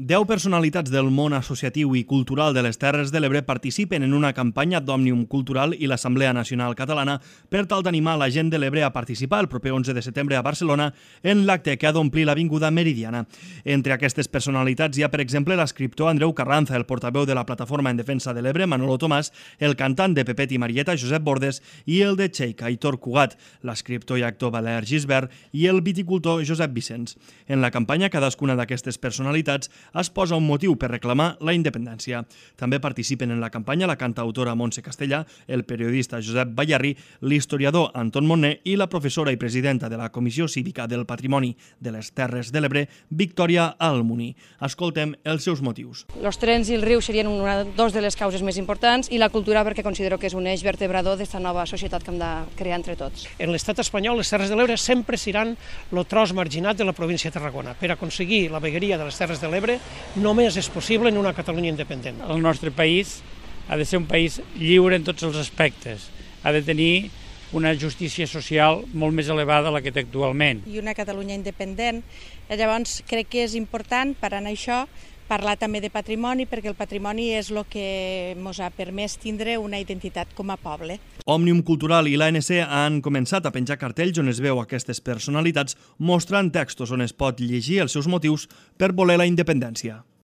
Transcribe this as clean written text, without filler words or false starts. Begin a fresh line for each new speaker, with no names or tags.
10 personalitats del món associatiu i cultural de les Terres de l'Ebre participen en una campanya d'Òmnium Cultural i l'Assemblea Nacional Catalana per tal d'animar la gent de l'Ebre a participar el proper 11 de setembre a Barcelona en l'acte que ha d'omplir l'Avinguda Meridiana. Entre aquestes personalitats hi ha, per exemple, l'escriptor Andreu Carranza, el portaveu de la Plataforma en Defensa de l'Ebre, Manolo Tomàs, el cantant de Pepet i Marieta, Josep Bordes, i el de Cheik, Aitor Cugat, l'escriptor i actor Valer Gisbert i el viticultor Josep Vicenç. En la campanya, cadascuna d'aquestes personalitats es posa un motiu per reclamar la independència. També participen en la campanya la cantautora Montse Castellà, el periodista Josep Ballarri, l'historiador Anton Monner i la professora i presidenta de la Comissió Cívica del Patrimoni de les Terres de l'Ebre, Victòria Almuní. Escoltem els seus motius.
Els trens i el riu serien dos de les causes més importants i la cultura perquè considero que és un eix vertebrador d'aquesta nova societat que hem de crear entre tots.
En l'estat espanyol, les Terres de l'Ebre sempre seran el tros marginat de la província de Tarragona. Per aconseguir la vegueria de les Terres de l'Ebre només és possible en una Catalunya independent.
El nostre país ha de ser un país lliure en tots els aspectes. Ha de tenir una justícia social molt més elevada a la que té actualment.
I una Catalunya independent. Llavors crec que és important per anar això parlar també de patrimoni, perquè el patrimoni és el que ens ha permès tindre una identitat com a poble.
Òmnium Cultural i l'ANC han començat a penjar cartells on es veu aquestes personalitats mostrant textos on es pot llegir els seus motius per voler la independència.